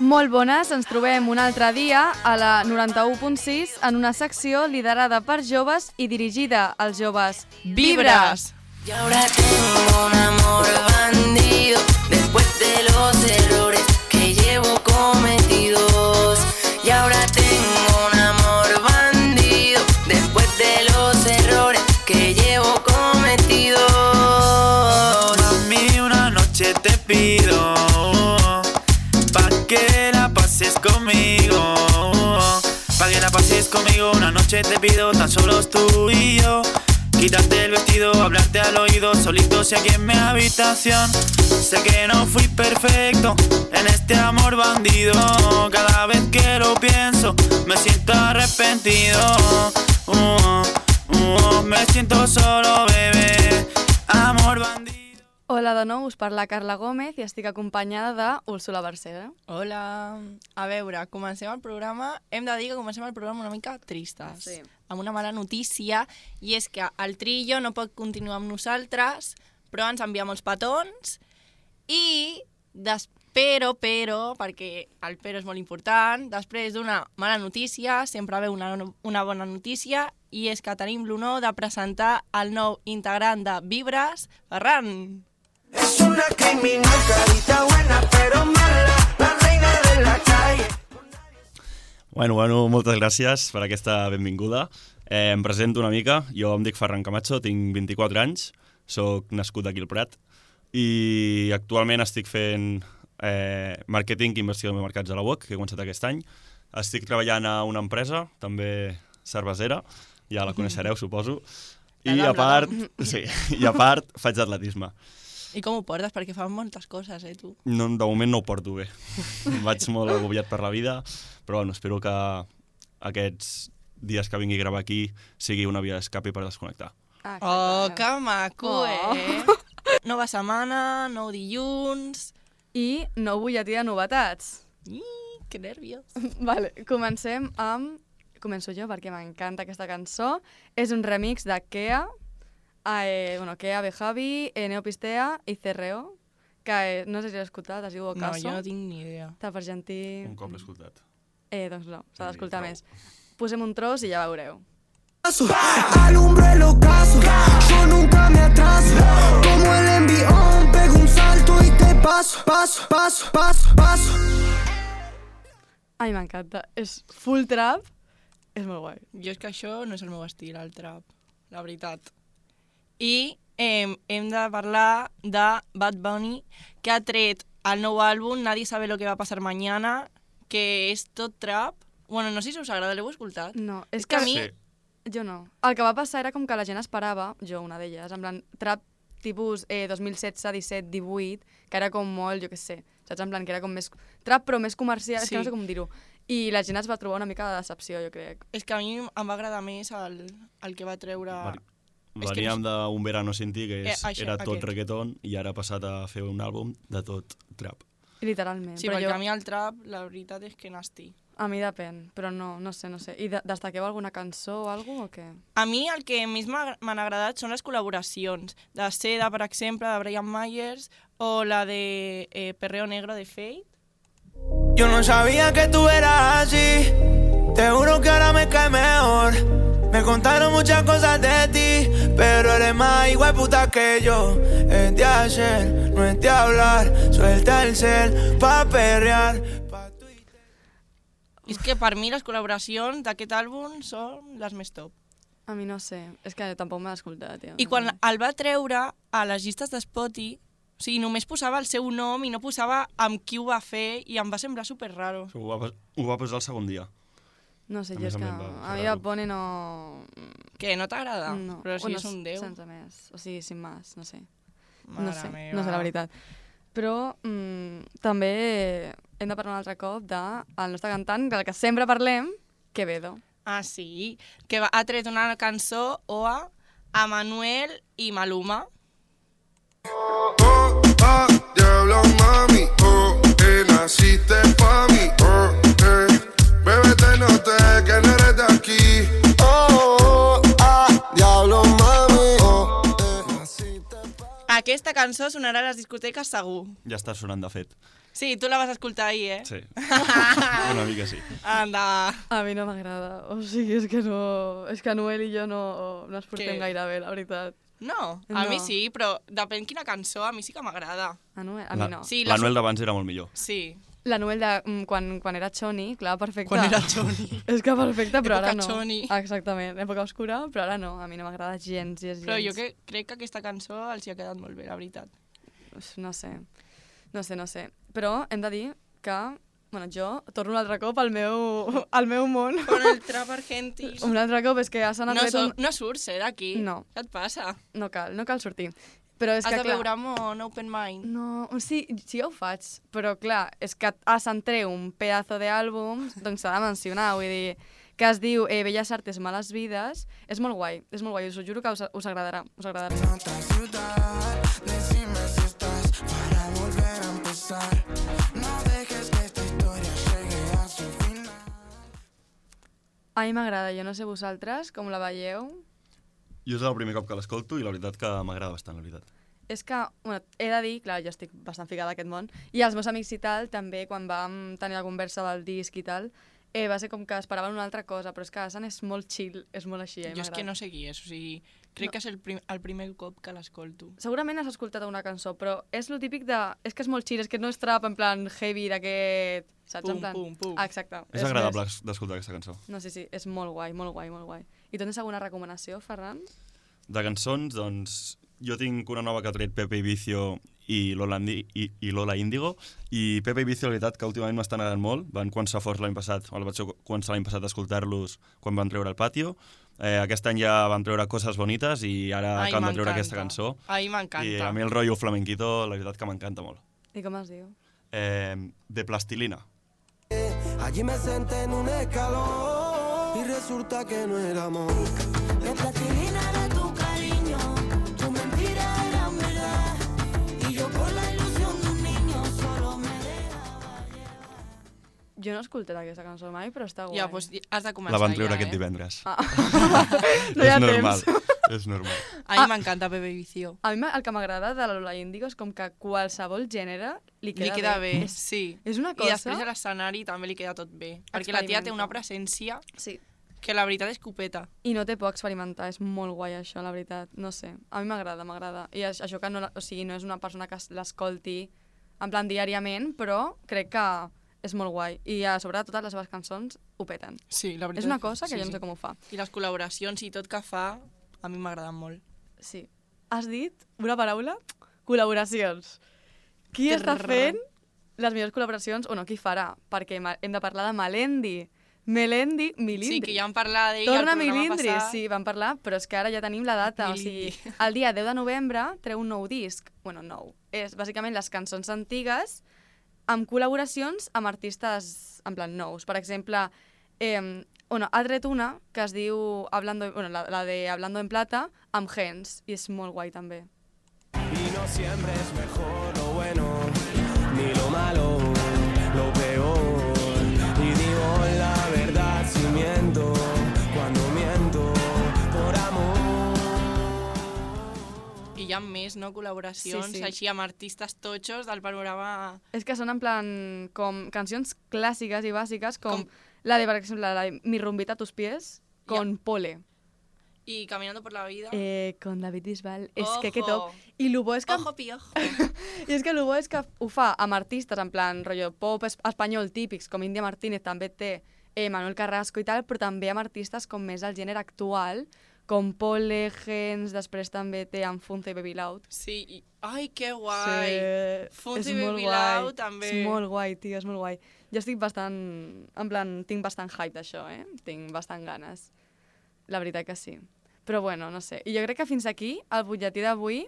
Molt bones, ens trobem un altre dia a la 91.6 en una secció liderada per joves i dirigida als joves. ¡Vibras! Y ahora tengo un amor bandido después de los errores que llevo cometidos. Y ahora tengo un amor bandido después de los errores que llevo cometidos. Mami, una noche te pido pa' que la pases conmigo. Pa' que la pases conmigo, una noche te pido, tan solos tú y yo. Quítate el vestido, hablarte al oído, solitos y aquí en mi habitación. Sé que no fui perfecto en este amor bandido. Cada vez que lo pienso me siento arrepentido. Me siento solo, bebé. Amor bandido. Hola de nou, us parla Carla Gómez i estic acompanyada d'Úrsula Barcera. Hola. A veure, comencem el programa. Hem de dir que comencem el programa una mica tristes. Sí. Amb una mala notícia, i és que el Trillo no pot continuar amb nosaltres, però ens envia molts petons, i però, perquè el però és molt important, després d'una mala notícia sempre ve una bona notícia, i és que tenim l'honor de presentar el nou integrant de Vibras, Ferran. Es una criminal, carita buena pero mala, la reina de la calle. Bueno, moltes gràcies per aquesta benvinguda. Em presento una mica. Jo em dic Ferran Camacho, tinc 24 anys, soc nascut aquí al Prat i actualment estic fent màrqueting i investigació de mercats a la UOC, que he començat aquest any. Estic treballant a una empresa, també cervesera, ja la coneixereu, suposo. I a part faig atletisme. I com ho portes? Perquè fan moltes coses, tu? No, de moment no ho porto bé. Vaig molt agobiat per la vida, però bueno, espero que aquests dies que vingui a gravar aquí sigui una via d'escape per desconnectar. Oh, que maco, Nova setmana, nou dilluns... I nou butlletí de novetats. Que nervios. Vale, comencem amb... Començo jo perquè m'encanta aquesta cançó. És un remix de Kea, Kea, Bejavi, Neopistea i Cerreo, que no sé si l'has escoltat, es diu Ocaso. No, jo no tinc ni idea. Està per argentí... Un cop l'he escoltat. Doncs no, s'ha d'escoltar més. Posem un tros i ja veureu. Alumbro el ocaso, yo nunca me atraso. Como el envión, pego un salto y te paso. Ai, m'encanta. És full trap. És molt guai. Jo és que això no és el meu estil, el trap, la veritat. I hem de parlar de Bad Bunny, que ha tret el nou àlbum Nadie sabe lo que va a pasar mañana, que és tot trap. Bueno, no sé si us agrada, l'heu escoltat? No, és que que a mi... Sí. Jo no. El que va passar era com que la gent esperava, jo una d'elles, en plan trap tipus 2016, 17, 18, que era com molt, jo què sé, saps? En plan que era com més trap però més comercial, és que no sé com dir-ho. I la gent es va trobar una mica de decepció, jo crec. És que a mi em va agradar més el que va treure... Veníem d'un Verano Sin Ti, que era tot aquest. reggaeton, i ara ha passat a fer un àlbum de tot trap. Literalment. Sí, perquè a mi el trap, la veritat és que nasty. A mi depèn, però no sé. I destaqueu alguna cançó o alguna cosa o què? A mi el que més m'han agradat són les col·laboracions. De Seda, per exemple, de Brian Myers, o la de Perreo Negro de Fate. Yo no sabía que tú eras así. Te juro que ahora me cae mejor. Me contaron muchas cosas de ti, pero eres más igual puta que yo. Es de hacer, no es de hablar. Suelta el cel pa' perrear. És que per mi les col·laboracions d'aquest àlbum són les més top. A mi no sé, és que tampoc m'ha escoltat, tio. I quan el va treure a les llistes d'Spotify, o sigui, només posava el seu nom i no posava amb qui ho va fer, i em va semblar super raro. Ho va posar el segon dia. No sé, A jo més és que a mi Bad Bunny no... Què, no t'agrada? No. Però si és un déu. Sense més, o sigui, sin más, no sé. Mare no sé meva. la veritat. Però també hem de parlar un altre cop del nostre cantant, del que sempre parlem, Quevedo. Ah, sí? Que ha tret una cançó, Oa, a Manuel i Maluma. Diablo mami, naciste pa' mí, bebé te noté que no eres de aquí. Diablo mami, A Aquesta cançó sonarà a les discoteques segur. Ja està sonant, de fet. Sí, tu la vas escoltar ahir, eh? Sí, una mica sí. Anda. A mi no m'agrada. O sigui, és que no... És que Noel i jo no ens portem Què? gaire bé, la veritat. No, a mi sí, però depèn quina cançó, a mi sí que m'agrada. A Noel? A mi no. Sí, La Noel d'abans era molt millor. Sí. La Noel de quan era Choni, clar, perfecte. Quan era Choni. És que perfecte, però ara Època no. Choni. Exactament, època oscura, però ara no. A mi no m'agrada gens. Però jo crec que aquesta cançó els hi ha quedat molt bé, la veritat. No sé. Però hem de dir que, bueno, jo torno un altre cop al meu món. Con el trap argentí. Un altre cop és que ja s'han adret No surts, d'aquí. No. Què et passa? No cal sortir. Però és Has que, de veure amb open mind. No, sí ja ho faig, però clar, és que se'n treu un pedazo d'àlbum, doncs s'ha de mencionar, vull dir, que es diu Belles Artes, Males Vides, és molt guai, us ho juro que us agradarà, Decime si estás para volver a empezar. No dejes que esta historia llegue a su final. A mi m'agrada, jo no sé vosaltres, com la veieu. Jo és el primer cop que l'escolto i la veritat que m'agrada bastant, la veritat. És que, bueno, he de dir, clar, jo estic bastant ficada a aquest món, i els meus amics i tal, també, quan vam tenir la conversa del disc i tal, va ser com que esperaven una altra cosa, però és que Asan és molt chill, és molt així, Jo és que no sé qui és, o sigui, crec que és el primer cop que l'escolto. Segurament has escoltat una cançó, però és lo típic de... És que és molt chill, és que no és trap en plan heavy d'aquest... Saps? Pum, en plan... pum, pum. Ah, exacte. És agradable d'escoltar aquesta cançó. No, sí, és molt guai, molt guai, molt guai. I tens alguna recomanació, Ferran? De cançons, doncs, jo tinc una nova que ha tret Pepe Ibicio i Lola Índigo, i Pepe Ibicio, la veritat, que últimament m'estan agradant molt. Van començar forts l'any passat, o vaig començar l'any passat a escoltar-los quan van treure el Patio. Aquest any ja van treure Coses Bonites i ara acaben de treure aquesta cançó. A mi m'encanta. I a mi el rotllo flamenquito, la veritat que m'encanta molt. I com es diu? De Plastilina. Allí me senté en un escalón y resulta que no era amor. De plastilina era tu cariño, tu mentira era verdad. Y yo con la ilusión de un niño solo me dejaba llevar. Jo no he escoltat aquesta cançó mai, però està guai. Ja, doncs has de començar La van treure ja, aquest divendres. No hi ha És normal, temps. és normal. A mi m'encanta Pepe Vicio. A mi el que m'agrada de la Lola Índigo és com que qualsevol gènere li queda bé, sí. És una I cosa... després a l'escenari també li queda tot bé. Perquè la tia té una presència Sí. que la veritat és copeta. I no té por experimentar, és molt guai això, la veritat. No sé, a mi m'agrada. I això que no, o sigui, no és una persona que l'escolti en plan diàriament, però crec que és molt guai. I a sobre totes les seves cançons ho peten. Sí, la veritat. És una cosa que jo no sé com ho fa. I les col·laboracions i tot que fa, a mi m'agraden molt. Sí. Has dit una paraula? Col·laboracions. Qui està fent les millors col·laboracions? O no, qui farà? Perquè hem de parlar de Milindri. Sí, que ja vam parlar d'ell Torna al programa Milindri, passat. sí, vam parlar, però és que ara ja tenim la data. O sigui, el dia 10 de novembre treu un nou disc. Bueno, nou. És bàsicament les cançons antigues amb col·laboracions amb artistes en plan nous. Per exemple, ha tret una que es diu la de Hablando en Plata amb Gens, i és molt guai també. Y no siempre es mejor lo bueno, ni lo malo, lo peor. Y digo la verdad si miento, cuando miento por amor. I hi ha més, no?, col·laboracions, Sí. així amb artistes totxos del panorama... És que són en plan com cancions clàssiques i bàsiques com la de, per exemple, la de Mi rumbita a tus pies con Pole. I Caminando por la vida... Con David Bisbal. És Ojo. que top. I lo bo és que... Ojo, piojo. I és que el bo és que ho fa amb artistes en plan rotllo pop espanyol típics, com Índia Martínez, també té Manuel Carrasco i tal, però també amb artistes com més el gènere actual, com Pole, Gens, després també té amb Funce i Baby Loud. Sí, i... Ai, que guai! Sí, Funce és i molt Baby guai. Loud, també. És molt guai, tio, és molt guai. Jo estic bastant... En plan, tinc bastant hype d'això, Tinc bastant ganes. La veritat que sí. Però bueno, no sé. I jo crec que fins aquí, el butlletí d'avui...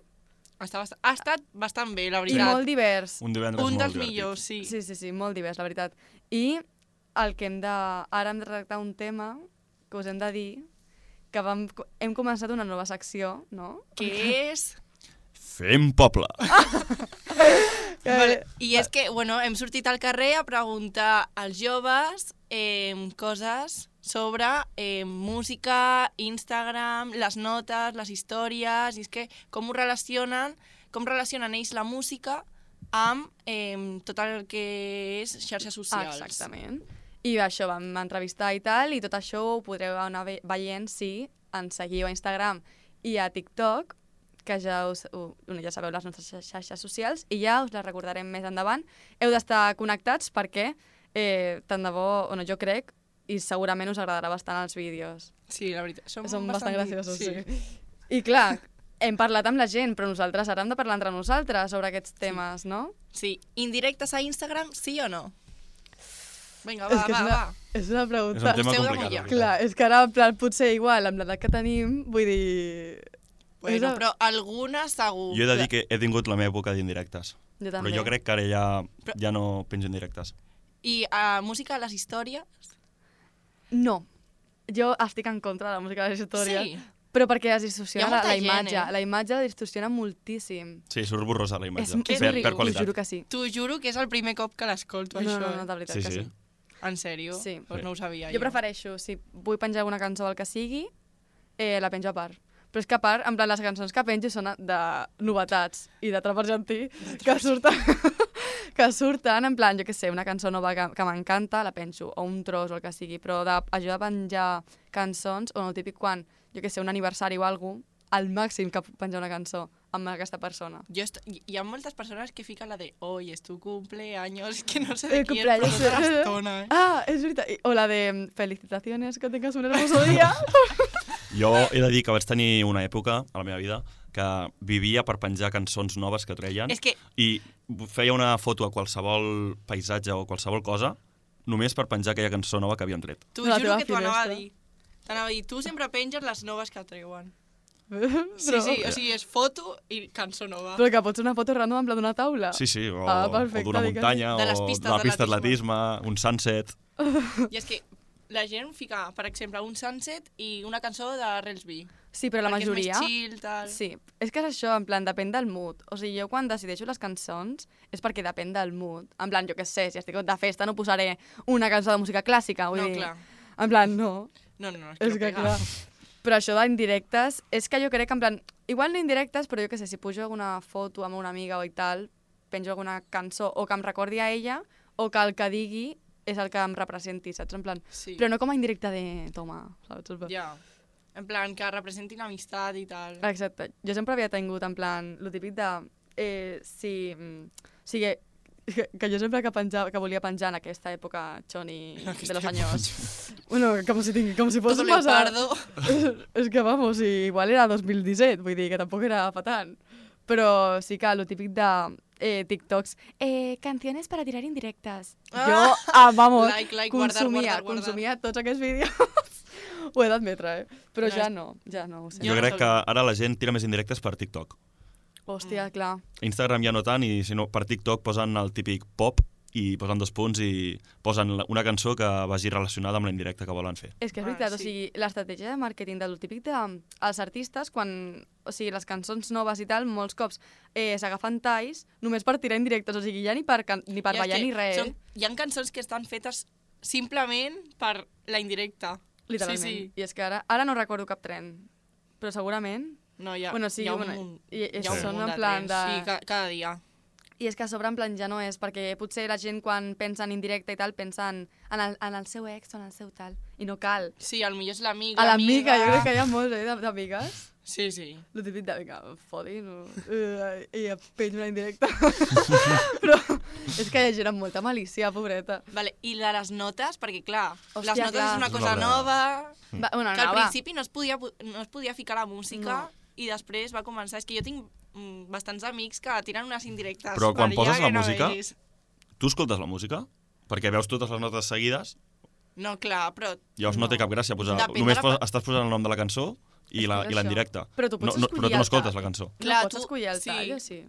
Ha estat bastant bé, la I veritat. molt divers. Un divendres Un molt dels divertit. millors, sí. Sí, molt divers, la veritat. I el que ara hem de tractar un tema que us hem de dir que hem començat una nova secció, no? Que és... Fem poble! Vale. I és que, bueno, hem sortit al carrer a preguntar als joves coses sobre música, Instagram, les notes, les històries, i és que com relacionen ells la música amb tot el que és xarxes socials. Exactament. I això, vam entrevistar i tal, i tot això ho podreu anar veient si ens seguiu a Instagram i a TikTok, que ja sabeu les nostres xarxes socials, i ja us les recordarem més endavant. Heu d'estar connectats perquè, tant de bo, jo crec, i segurament us agradarà bastant els vídeos. Sí, la veritat. Són bastant graciosos, sí. I Sí. clar, hem parlat amb la gent, però nosaltres ara hem de parlar entre nosaltres sobre aquests temes, no? Sí. Indirectes a Instagram, sí o no? Vinga, És va, que va. És una És pregunta. un tema Esteu de complicat. mullar. la Clar, veritat. és que ara, en plan, potser igual, amb l'edat que tenim, vull dir... Bueno, però alguna segur. Jo he de dir que he tingut la meva època d'indirectes. Jo també. Però jo crec que ara ja no penjo en directes. I música a les històries? No. Jo estic en contra de la música de les històries. Sí. Però perquè es Hi distorsiona ha molta la gent, imatge. eh? La imatge la distorsiona moltíssim. Sí, surt borrosa la imatge. És Per horrible, qualitat. us juro que sí. T'ho juro que és el primer cop que l'escolto, No, això. no, de veritat Sí, que sí. sí. En sèrio? Sí. Pues no ho sabia Jo prefereixo, si vull penjar alguna cançó del que sigui, la penjo a part. Però és que a part, en plan, les cançons que penjo són de novetats i de trap argentí que surten, en plan, jo què sé, una cançó nova que m'encanta, la penjo, o un tros o el que sigui, però això de penjar cançons, o no, el típic quan, jo què sé, un aniversari o alguna cosa, al màxim que puc penjar una cançó amb aquesta persona. Hi ha moltes persones que fiquen la de hoy es tu cumpleaños, que no sé de El qui és, però cumpleaños. tota l'estona, eh? Ah, és veritat. O la de felicitaciones, que tengas un hermoso día. Jo he de dir que vaig tenir una època a la meva vida que vivia per penjar cançons noves que treien És que i feia una foto a qualsevol paisatge o qualsevol cosa només per penjar aquella cançó nova que havien tret. t'ho La juro teva que t'ho anava a finestra. dir. T'anava a dir, tu sempre penges les noves que treuen. Sí, Però, sí, o sigui, és foto i cançó nova. però que pot ser una foto random en pla d'una taula. Sí, sí, o, perfecte, o d'una digues. muntanya, De les o pistes d'una pista d'atletisme. d'atletisme, un sunset... I és que la gent fica, per exemple, un sunset i una cançó de Relsby. Sí, però la Perquè majoria... és més chill, tal. Sí, és que és això, en plan, depèn del mood. O sigui, jo quan decideixo les cançons és perquè depèn del mood. En plan, jo què sé, si estic de festa no posaré una cançó de música clàssica, vull No, dir... clar. En plan, no. No, és És no que pega. clar. Però això d'indirectes, és que jo crec que en plan... Igual no indirectes, però jo què sé, si pujo alguna foto amb una amiga o i tal, penjo alguna cançó o que em recordi a ella o que el que digui és el que em representi, saps? En plan... Sí. Però no com a indirecte de... Toma, saps? Ja. En plan, que representin amistat i tal. Exacte. Jo sempre havia tingut, en plan, lo típic de... O sigui, que jo sempre que volia penjar en aquesta època choni de los años... Bueno, com si fos Todo massa... leopardo. És que, vamos, igual era 2017, vull dir que tampoc era fa tant. Però sí que lo típic de TikToks, canciones para tirar indirectes. Jo, vamos, Like, guardar, guardar. consumia tots aquests vídeos. Ho he d'admetre, però No, ja no ho sé. Jo no crec sabia. que ara la gent tira més indirectes per TikTok. Hòstia, clar. Instagram ja no tant, i si no, per TikTok posen el típic pop i posen 2 punts i posen una cançó que vagi relacionada amb la indirecta que volen fer. És que és Ah, veritat, sí. o sigui, l'estratègia de màrqueting del típic dels artistes, quan, o sigui, les cançons noves i tal, molts cops s'agafen talls només per tirar indirectes, o sigui, ja ni per Ja, és ballar que ni res. Hi ha cançons que estan fetes simplement per la indirecta. Literalment. Sí. I és que ara no recordo cap tren, però segurament... No, hi ha, Bueno, sí, hi ha un bueno, munt, i hi ha un són munt en de plan trens. de- Sí, cada dia. I és que a sobre, en plan, ja no és, perquè potser la gent quan pensa en indirecte i tal, pensa en el seu ex o en el seu tal, i no cal. Sí, potser és l'amic, A l'amiga, jo crec que hi ha molts, d'amigues. Sí, sí. Lo típic de, vinga, fodi, no? I penjo una indirecta. Però és que hi ha gent amb molta malícia, pobreta. Vale, i de les notes, perquè clar, Hòstia, les notes clar. és una És cosa una nova, Bueno, que al no, principi no es podia ficar la música No. i després va començar. És que jo tinc bastants amics que tiren unes indirectes. Però quan Maria, poses la que no música- veus. Tu escoltes la música? Perquè veus totes les notes seguides, No, clar, però... llavors no té cap gràcia posar... Depèn de Només la- estàs posant el nom de la cançó i És la, per i la això. indirecta. Però tu pots però escollir tu no el escoltes tall. la cançó. Clar, no pots tu- escollir el sí. tall, o sí?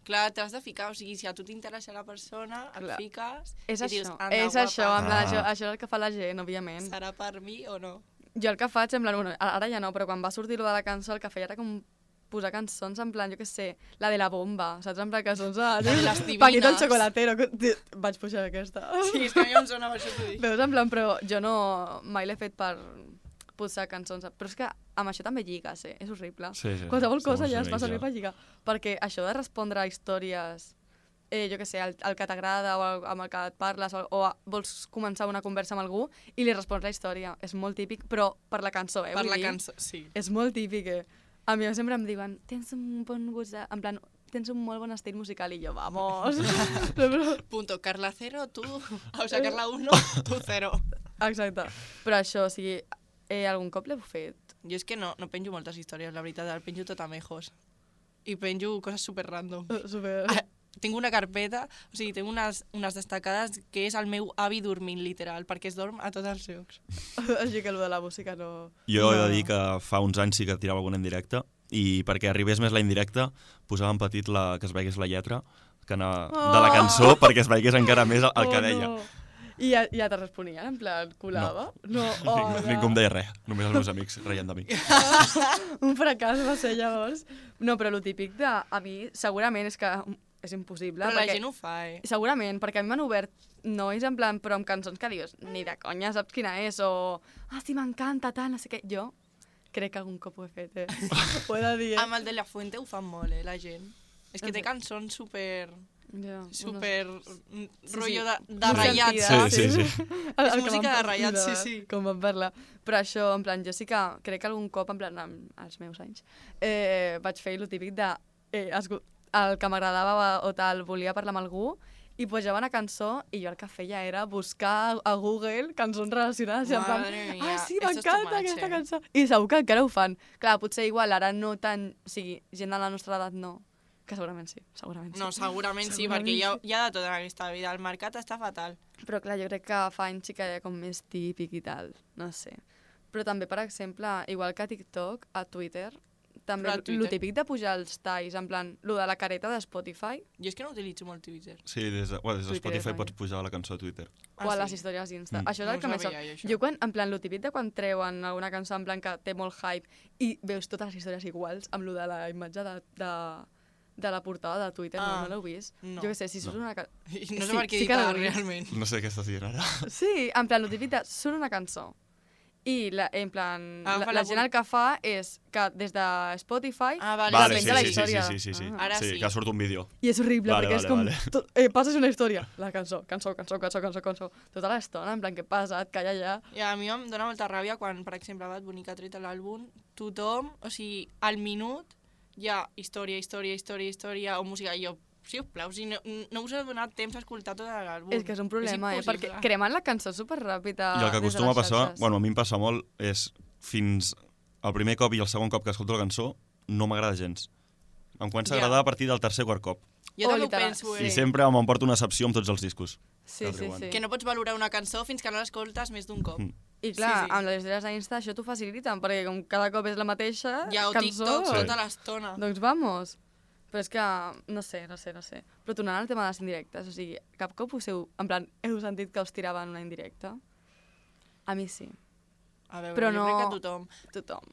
Clar, t'has de ficar, o sigui, si a tu t'interessa la persona, et Clar. fiques És i dius, això, anda, és guapa, això, en plan, Ah. això és el que fa la gent, òbviament. serà per mi o no? Jo el que faig, en plan, bueno, ara ja no, però quan va sortir lo de la cançó, el que feia era com posar cançons en plan, jo què sé, la de la bomba, saps? En plan cançons de... de les divines. Paquito el xocolatero. Vaig pujar aquesta. Sí, és que a mi em sona per això t'ho dic. Veus, en plan, però jo no... Mai l'he fet per posar cançons. Però és que amb això també lligues, És horrible. Sí. Qualsevol cosa Som ja uns es fa amics, servir ja. per lligar. Perquè això de respondre a històries, jo què sé, el que t'agrada o amb el que et parles, o vols començar una conversa amb algú i li respons la història. És molt típic, però per la cançó, Per vull la dir. cançó, sí. És molt típic, A mi sempre em diuen, tens un bon gust, en plan, tens un molt bon estil musical, i jo, vamos. Però... Punto, Carla 0, tu... O sea, Carla 1, tu 0. Exacte. Però això, o sigui, algun cop l'heu fet? Jo és que no penjo moltes històries, la veritat, el penjo tot a mejos. I penjo coses super random. Super... Tinc una carpeta, o sigui, tinc unes destacades que és el meu avi dormint, literal, perquè es dorm a tots els llocs. Així que el de la música no... Jo he de dir que fa uns anys sí que tirava alguna indirecta i perquè arribés més la indirecta posava en petit que es veigués la lletra de la cançó perquè es veigués encara més el que deia. No. I ja te responien, en plan, colava? No. Ningú em deia res, només els meus amics reien de mi. Un fracàs va ser llavors. No, però el típic de... A mi, segurament, és que és impossible. Però la gent ho fa, Segurament, perquè a mi m'han obert nois en plan, però amb cançons que dius, ni de conya saps quina és, o sí, m'encanta, tal, no sé què. Jo crec que algun cop ho he fet, Ho he de dir, Amb el de La Fuente ho fan molt, la gent. És que té cançons super... Ja, super... rotllo sí. de ratllats. Sí. És música de ratllats, sí. Com vam parlar. Però això, en plan, jo sí que crec que algun cop, en plan, als meus anys, vaig fer el típic de... el que m'agradava o tal, volia parlar amb algú, i posava una cançó i jo el que feia era buscar a Google cançons relacionades i en plan, mia, sí, esto és too m'encanta much, aquesta cançó. I segur que encara ho fan. Clar, potser igual ara no tant... O sigui, gent de la nostra edat no. Que segurament sí, segurament sí. No, segurament sí, perquè hi ha de tot en aquesta vida. El mercat està fatal. Però clar, jo crec que fa anys sí que hi ha com més típic i tal, no sé. Però també, per exemple, igual que a TikTok, a Twitter, també el típic de pujar els talls, en plan, lo de la careta de Spotify. Jo és que no utilitzo molt Twitter. Sí, des de Twitter Spotify és pots pujar la cançó a Twitter. O a les històries d'Insta. Això és No el que ho més... sabia, jo, això. Jo, quan, en plan, lo típic de quan treuen alguna cançó en plan que té molt hype i veus totes les històries iguals, amb lo de la imatge de la portada de Twitter, no l'heu vist? No. Jo què sé, si surt una... No sé per què dic realment. No sé què estàs dient ara. Sí, en plan, lo típic de surt una cançó i en plan, la gent el que fa és que des de Spotify vale, penja la història. Sí. Ara sí. Que surt un vídeo. I és horrible, Vale, perquè és vale, com... passes una història, la cançó, tota l'estona, en plan, què passa? Et calla ja. I a mi em dóna molta ràbia quan, per exemple, Bad Bunny que ha tret l'àlbum, tothom, o sigui, al minut hi ha història o música, i jo, sisplau, si no us ha donat temps a escoltar tot l'àlbum. És que és un problema, perquè cremen la cançó superràpid. I el que acostuma a passar, bueno, a mi em passa molt, és fins el primer cop i el segon cop que escolto la cançó, no m'agrada gens. Em comença a agradar a partir del tercer o quart cop. Jo també ho penso, I sempre m'emporto una excepció amb tots els discos. Sí. Que no pots valorar una cançó fins que no l'escoltes més d'un cop. I clar, amb les històries d'Insta això t'ho faciliten, perquè com cada cop és la mateixa ja, o cançó... TikTok tota l'estona. Doncs vamos. Però és que, no sé. Però tornant al tema de les indirectes, o sigui, cap cop en plan, heu sentit que us tiraven una indirecta? A mi sí. A veure, però jo no... crec que tothom.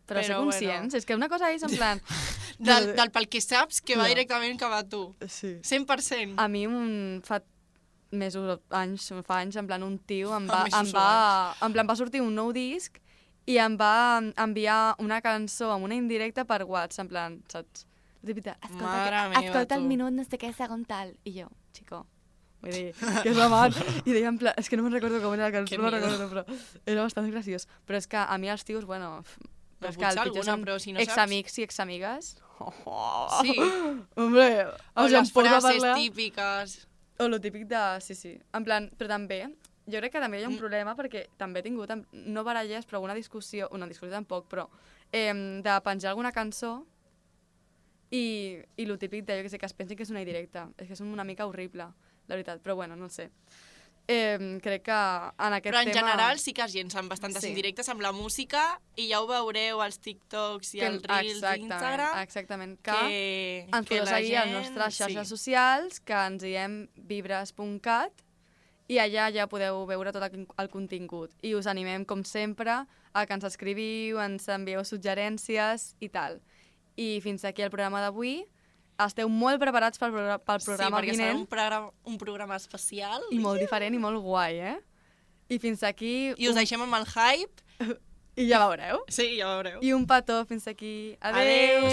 Però ser conscients, bueno. És que una cosa és en plan... del pel que saps que va directament cap a tu. Sí. 100%. A mi fa anys, en plan, un tio en plan, va sortir un nou disc i em va enviar una cançó amb una indirecta per WhatsApp, en plan, saps? Escolta el minut no sé què, segon tal. I jo, chico, vull dir, que és amant. I deia en plan, és que no me'n recordo com era la cançó, no me'n recordo, però era bastant graciós. Però és que a mi els tios, bueno... Però és que el pitjor són examics i examigues. Sí. Hombre, o les frases típiques. O lo típic de... Sí. En plan, però també, jo crec que també hi ha un problema perquè també he tingut, no baralles, però una discussió tampoc, però de penjar alguna cançó i lo típic de, jo que sé, que es pensin que és una indirecta. És que és una mica horrible, la veritat, però bueno, no sé. Crec que en aquest tema... Però en general sí que es llencen bastantes indirectes amb la música i ja ho veureu als TikToks i als Reels d'Instagram. Exactament, que ens podeu seguir a les nostres xarxes socials, que ens diem vibres.cat, i allà ja podeu veure tot el contingut. I us animem, com sempre, a que ens escriviu, ens envieu suggerències i tal. I fins aquí el programa d'avui. Esteu molt preparats pel programa perquè vinent. serà un programa especial. I molt diferent i molt guai, I fins aquí... I us deixem amb el hype. I ja veureu. Sí, ja veureu. I un petó fins aquí. Adéu.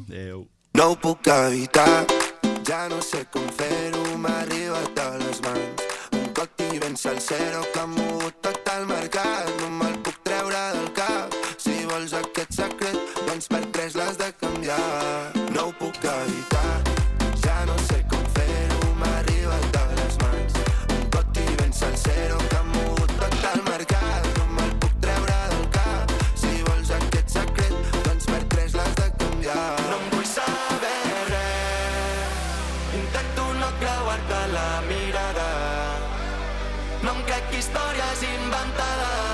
Adéu. No ho puc evitar, ja no sé com fer-ho, m'ha arribat a les mans. Un coti ben salsero que ha mogut tot el mercat, no me'l puc treure del cap. Si vols aquest secret, doncs per 3 l'has de canviar. No ho puc evitar, ja no sé com fer-ho, m'ha arribat a les mans. Un coti ben salsero que ha mogut tot el mercat, no me'l puc treure del cap. Si vols aquest secret, doncs per 3 l'has de canviar. No em vull saber res, intento no creuar-te la mirada. No em crec històries inventades.